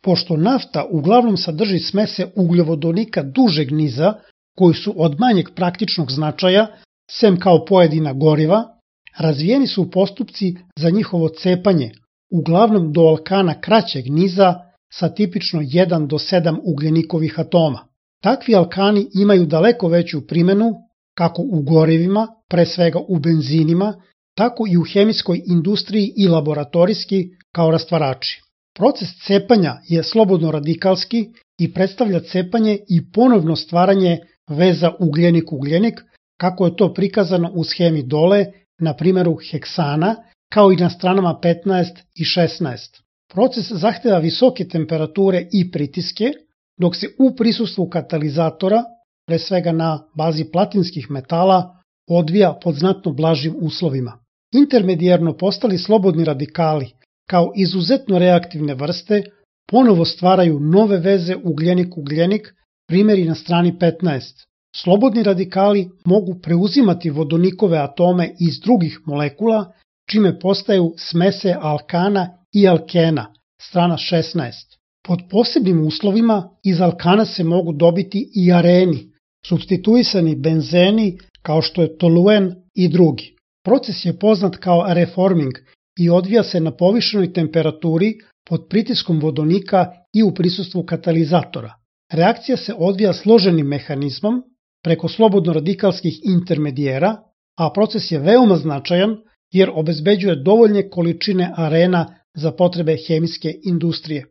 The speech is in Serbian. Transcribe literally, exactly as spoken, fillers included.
Pošto nafta uglavnom sadrži smese ugljovodonika dužeg niza, koji su od manjeg praktičnog značaja, sem kao pojedina goriva, razvijeni su postupci za njihovo cepanje, uglavnom do alkana kraćeg niza sa tipično jedan do sedam ugljenikovih atoma. Takvi alkani imaju daleko veću primenu kako u gorivima, pre svega u benzinima, tako i u hemijskoj industriji i laboratorijski kao rastvarači. Proces cepanja je slobodno radikalski i predstavlja cepanje i ponovno stvaranje veza ugljenik-ugljenik, kako je to prikazano u shemi dole, na primjeru heksana, kao i na stranama petnaest i šesnaest. Proces zahteva visoke temperature i pritiske, dok se u prisustvu katalizatora, pre svega na bazi platinskih metala, odvija pod znatno blažim uslovima. Intermedijarno postali slobodni radikali, kao izuzetno reaktivne vrste, ponovo stvaraju nove veze ugljenik-ugljenik, primjeri na strani petnaest. Slobodni radikali mogu preuzimati vodonikove atome iz drugih molekula, čime postaju smese alkana i alkena, strana šesnaest. Pod posebnim uslovima iz alkana se mogu dobiti i areni, supstituisani benzeni kao što je toluen i drugi. Proces je poznat kao reforming i odvija se na povišenoj temperaturi pod pritiskom vodonika i u prisustvu katalizatora. Reakcija se odvija složenim mehanizmom preko slobodno radikalskih intermedijera, a proces je veoma značajan jer obezbeđuje dovoljne količine arena za potrebe hemijske industrije.